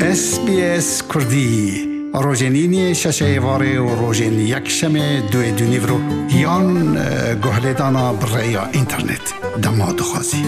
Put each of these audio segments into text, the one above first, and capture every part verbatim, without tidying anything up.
S B S Kurdî, rojên îniyê şeşê êvarê û rojên yekşemê duê dûnîvro yan, e, guhlêdana bi rêya înternet. Dema dixwazî.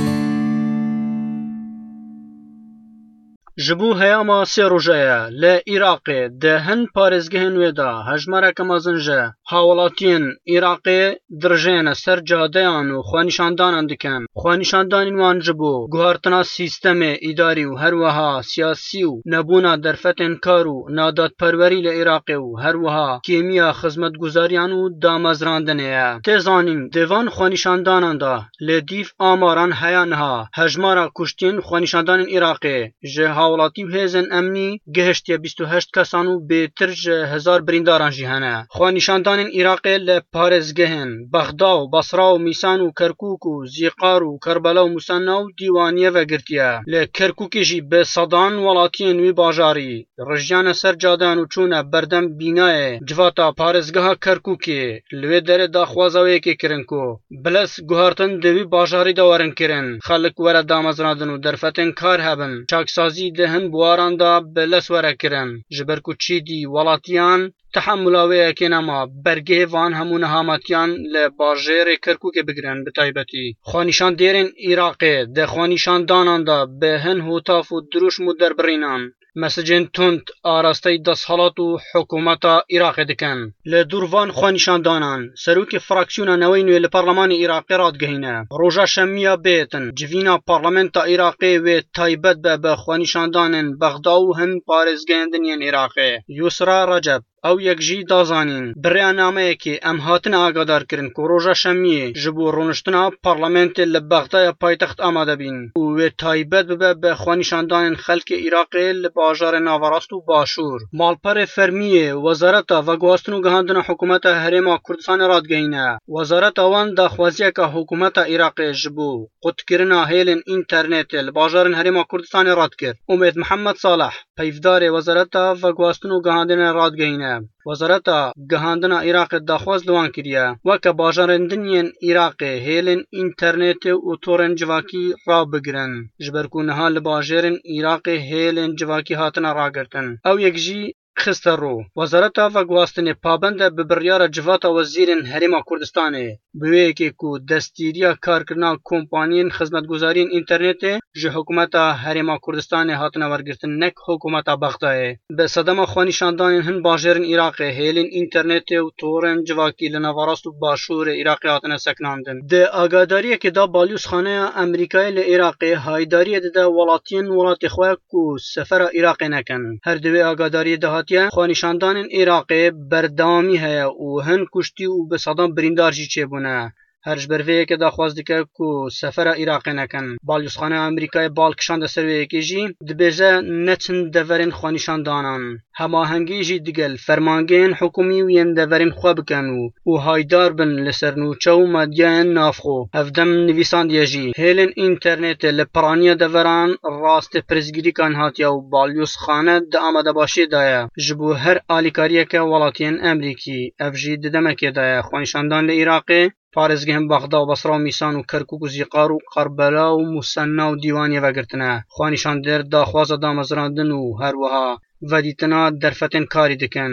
Ji bo heyama sê roja ye li Iraqê di hin parêzgehên wê de hejmareke mezin ji hawlatiyên Iraqê dirijêne ser cadeyan û xwenîşandanan dikin. Xwenîşandanên wan ji bo guhartina sîstemê îdarî û her wiha siyasî û nebûna derfetên kar û nadadperwerî li Iraqê û her wiha kêmiya xizmetguzariyan û damezrandinê ye. Tê zanîn, di van xwenîşandanan de li dîv amaran heya niha hejmara kuştiyên xwenîşandanên Iraqê ji hawlatî û hêzên emnî gihiştiye bîst û heşt kesan û bêtir ji hezar birîndaran jî hene. Xwenîşandanên Iraqê li parêzgehên Bexda û Basra û Mîsan û Kerkûk û Zîqar û Kerbela û Musenna û Dîwaniye vegirtiye. Li Kerkûkê jî bi sedan welatiyên wî bajarî rijiyane ser cadeyan û çûne berdem bînayê civata parêzgeha Kerkûkê. Li wê derê daxwaza wê yekê kirin ku bi lez guhertin di wî bajarî de werin kirin, xelk were damezrandin û derfetên kar hebin, çaksazî di hin buwaran de bi lez were kirin, ji ber ku çîdî welatiyan tehemula wê yekê nema, bergehê van hemû nehametiyan li bajêrê Kerkûkê bigirin, bi taybetî xwenîşandêrên Iraqê di xwenîşandanan de bi hin hotaf û dirûşm û derbirînan mesecên tund arasteyî desthilat û hikûmeta Iraqê dikin. Li dûr van xwenîşandanan, serokê fraksiyona neweyên wê li Parlemanê Iraqê radigihîne, roja şemiya bêtin civîna parlamenta Iraqê wê taybet be bi xwenîşandanên Bexda û hin parêzgehên din yên Iraqê. Yusra Recep, ew yek jî da zanîn, bi rêya nameyekê em hatine agadarkirin ku roja şemiyê ji bo rûniştina parlamentê li Bexdaya paytext amade bîn û wê taybet bibe bi xwenîşandanên xelkê Iraqê li bajarê naverast û başûr. Malperê fermiyê Wezareta Veguhastin û Gihandina Hikûmeta Herêma Kurdistanê radigihîne, wezareta wan daxwaziyeke hikûmeta Iraqê ji bo qutkirina hêlên înternetê li bajarên Herêma Kurdistanê red kir. Umêd Mihemed Salih, peyvdarê Wezareta Veguhastin û Gihandinê radigihîne, Wezareta Gihandina Iraqê daxwaz li wan kiriye, weke bajarên din yên Iraqê hêlên înternetê û torên civakî rabigirin, ji ber ku niha li bajêrên Iraqê hêlên civakî hatine ragirtin. Ew yek jî xiste ro. Wezareta Veguhastinê pabend e bi biryara Civata Wezîrên Herêma Kurdistanê, bi wê yekê ku destgîriya karkirina kompaniyên xizmetguzariyên înternetê ji hikûmeta Herêma Kurdistanê hatine wergirtin, nek hikûmeta Bexdayê. Bi sedema xwenîşandanên hin bajêrên Iraqê hêlên înternetê û torên civakî li naverast û başûrê Iraqê hatine sekinandin. Di agadariyekê de Balyozxaneya Amerîkayê li Iraqê haydariyê dide welatiyên welatê xwe ku sefera Iraqê nekin. Her di wê agadariyê de hatiye, xwenîşandanên Iraqê berdewamî heye û hin kuştî û bi sedan birîndar jî çêbûne. Her ji ber vê yekê daxwaz dike ku sefera Iraqê nekin. Balyozxaneya Amerîkayê bal kişande ser wê yekê jî dibêje neçin deverên xwenîşandanan. Hemahengî jî digel fermangehên hikûmî û yên deverên xwe bikin û, û haydar bin li ser nûçe û medyayên navxwe. Hevdem nivîsandiye jî, hêlên înternetê li piraniya deveran rastê pirsgirêkan hatiye û Balyozxane di amadebaşiyê de ye ji bo her alîkariyeke welatiyên Amerîkî. Ev jî di demekê de ye xwenîşandan li Iraqê, parêzgehên Bexda û Basra û Mîsan û Kerkûk û Zîqar û Qerbela û Musenna û Dîwaniyê vegirtine. Xwenîşandêr daxwaza damezrandin û her wiha vedîtina derfetên karî dikin.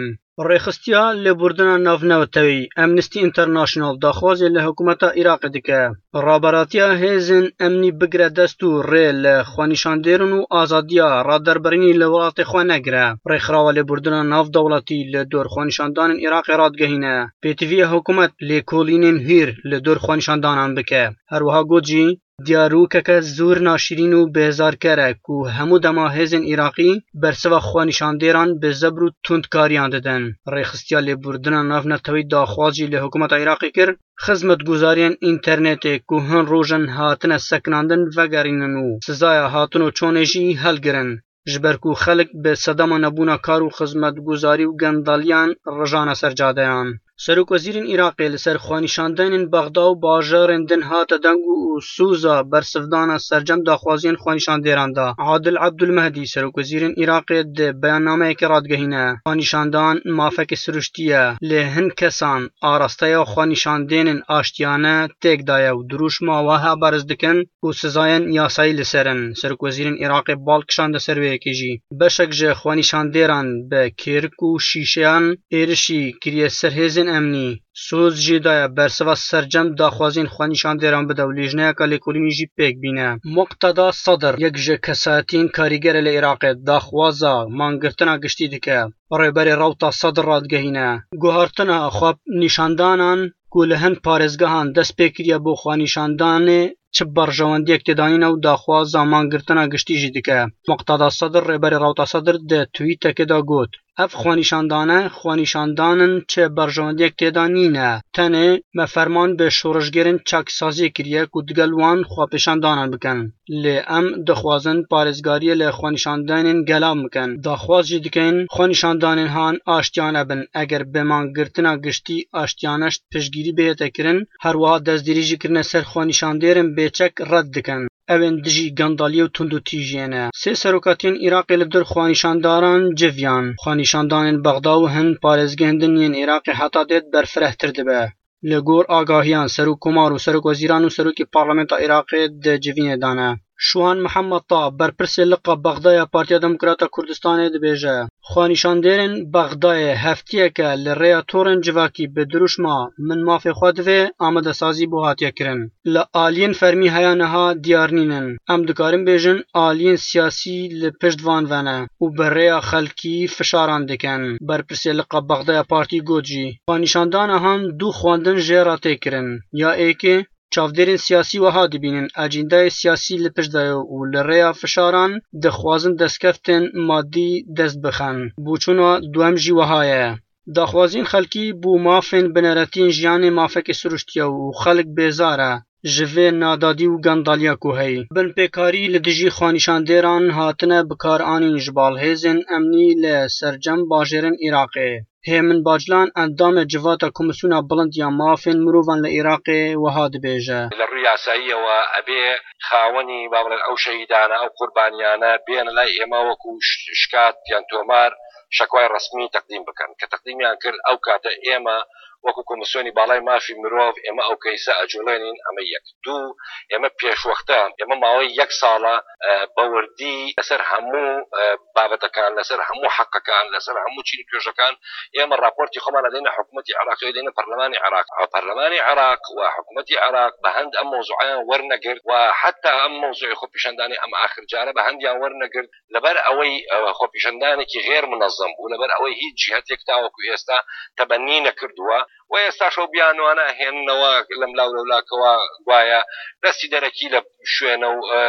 Rêxistiya lêbûrdina navneteweyî Amnesty International daxwazê li hikûmeta Iraqê dike, raberatiya hêzên emnî bigire dest û rê li xwenîşandêrin û azadiya raderbirînî li welatê xwe negire. Rêxirawa lêbûrdina navdewletî li dor xwenîşandanên Iraqê radigehîne, pêtiviya hikûmet lêkolînên hîr li dor xwenîşandanan bike. Her wiha got jî, diyarokeke zor naşîrîn û bêzarker e ku hemû dema hêzên Iraqî bersiva xwenîşandêran bi zebr û tundkariyan didin. Rêxistiya lêbûrdina navneteweyî daxwaz jî li hikûmeta Iraqê kir, xizmetguzariyên înternetê ku hin roj in hatine sekinandin vegerînin û sizaya hatin û çonê jî helgirin. Ji ber ku xelk bi sedema nebûna kar û xizmetguzarî û gendaliyan rijane ser cadeyan. Serokwezîrên Iraqê li ser xwenîşandanên Bexda û bajarên din hate deng û sûza bersivdana sercem daxwaziyên xwenîşandêran da. Adil Ebdulmehdî, serokwezîrên Iraqê, di beyannameyekê radigehîne, xwenîşandan mafekê siruştî ye, lê hin kesan arasteya xwenîşandênên aştiyane têk daye û dirûşma wiha beriz dikin ku sizayên yasayî li ser in. Serokwezîrên Iraqê bal kişande ser wê yekê jî. Beşek ji xwenîşandêran bi kêrik û şîşeyan êrişî kiriye ser hêzên emnî. Soz jê daye bersiva sercem daxwaziyên xwenîşandêran bide û lêjneyeka lêkolînî jî pêk bîne. Muqteda Sedir, yek ji kesayetiyên karîger e li Iraqê, daxwaza mangirtina giştî dike. Rêberê Rewta Sedir radigehîne, guhartina xwe nîşandanan ku li hin parêzgehan dest pê kiriye bo xwenîşandanê çi berjewendiyek têda nîne û daxwaza mangirtina giştî jî dike. Muqteda Sedir, rêberê Rewta Sedir, di twîtekê de got, ev xwenîşandane, xwenîşandan in, çi berjewendiyek têda nîne. Tenê me ferman bi şoreşgerên çaksaziyê kiriye ku digel wan xwepêşandanan bikin. Lê em dixwazin parêzgariyê li xwenîşandanên gelav bikin. Daxwaz jî dikin xwenîşandanên han aştiyane bin. Eger bi mangirtina giştî aştiyane piştgirî bihête kirin, her wiha destdirî jî kirine ser xwenîşandêrên bêçek red dikin. Ew ên dijî gendaliyê û tundûtîjiyê ne. Sê serokatiyên Iraqê li dor xwenîşandaran civiyan. Xwenîşandanên Bexda û hin parêzgehên din yên Iraqê heta dêt berfirehtir dibe. Li gor agahiyan, Serokkomar û Serokwezîran û Serokê Parlamenta Iraqê di civînê de ne. Şuhan Mihemed Ta, berpirsê liqa Bexda ya Partiya Demokrata Kurdistanê dibêje, xwenîşandêrên Bexdayê heftiyeke li rêya torên civakî bi dirûşma "Min mafê xwe divê" amadesazî bo hatiye kirin. Li aliyên fermî heya niha diyar nînin. Em dikarin bêjin aliyên siyasî li pişt van ve ne û bi rêya xelkî fişaran dikin. Berpirsê liqa Bexdaya Partî got jî, xwenîşandana han du xwendin jê re tê kirin. Ya êkê, çavdêrên siyasî wiha dibînin, ecîndayê siyasî li pişt de ye û li rêya fişaran dixwazin destkeftên madî dest bixin. Bûçûna duwem jî wiha ye. Daxwaziyên xelkî bo mafên bineretiyên jiyanê mafekê siruştiye û xelk bêzar e ji vê nadadî û gendaliya ku heyî. Binpêkarî li dijî xwenîşandêran hatine bikaranîn ji bal hêzên emnî li sercem bajêrên Iraqê. Hêmin Baclan, endamê Civata Komîsyona Bilind ya Mafên Mirovan li Iraqê, wiha dibêje. لە ڕووی یاساییەوە ئەبێ خاوەنی، با بڵێن، ئەو شەهیدانە، ئەو قوربانیانە بێنە لای ئێمە وەکو ش-، شکات یان تۆمار، شەکوای ڕەسمی تەقدیم بکەن. کە تەقدیمیان کرد، ئەو کاتە ئێمە وەکو کۆمیسیۆنی باڵای مافی مرۆڤ، ئێمە ئەو کەیسە ئەجوڵێنین. ئەمە یەک. دوو، ئێمە پێشوەختە، ئێمە ماوەی یەک ساڵە، ئە، بەوردی لەسەر هەموو، ئە، بابەتەکان، لەسەر هەموو حەقەکان، لەسەر هەموو چین و توێژەکان ئێمە راپۆرتی خۆمان ئەدەینە حکوومەتی عێراقی، ئەدەینە پەرلەمانی عێراق. پەرلەمانی عێراق و حکوومەتی عێراق بە هەند ئەم مۆزوعیان وەرنەگرت و حتا ئەم مۆزوعی خۆپیشاندانی ئەم ئاخر جارە بە هەندیان وەرنەگرت. لەبەر ئەوەی، ئە، خۆپیشاندانێکی غێر منەزەم بوو، لەبەر ئەوەی هیچ جیهەتێک تاوەکو ئێستا تەبەنی نەکردووە و ئێستاش ئەو بیانوانە هێننەوە لەم لاو لەولاکەوە، گوایە دەستی دەرەکی لە شوێنە و، ئە،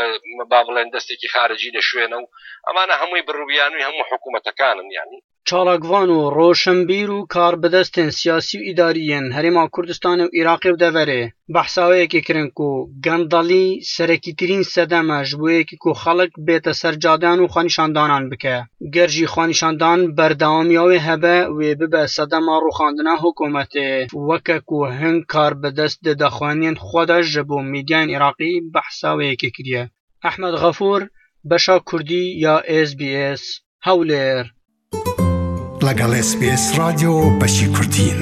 با بڵێن دەستێکی خارجی لە شوێنە و ئەمانە هەمووی بڕوبیانووی هەموو حکوومەتەکانن، یعنی. چالاکڤان و ڕۆشنبیر و کاربدەستên siyasî û îdarî yên Herêma Kurdistanê û Iraqê û deverê behsa wê yekê kirin ku gendalî serekîtirîn sedem e ji bo yekî ku xelk bête ser cadeyan û xwenîşandanan bike. Ger jî xwenîşandan berdewamiya wê hebe, wê bibe sedema rûxandina hikûmetê, weke ku hin karbidest di daxuyaniyên xwe de ji bo mîdyayên Iraqî behsa wê yekê kiriye. Ehmed Xefûr, beşa Kurdî ya S B S, Hewlêr. لەگەڵ S B S رادیۆ بەشی کوردین.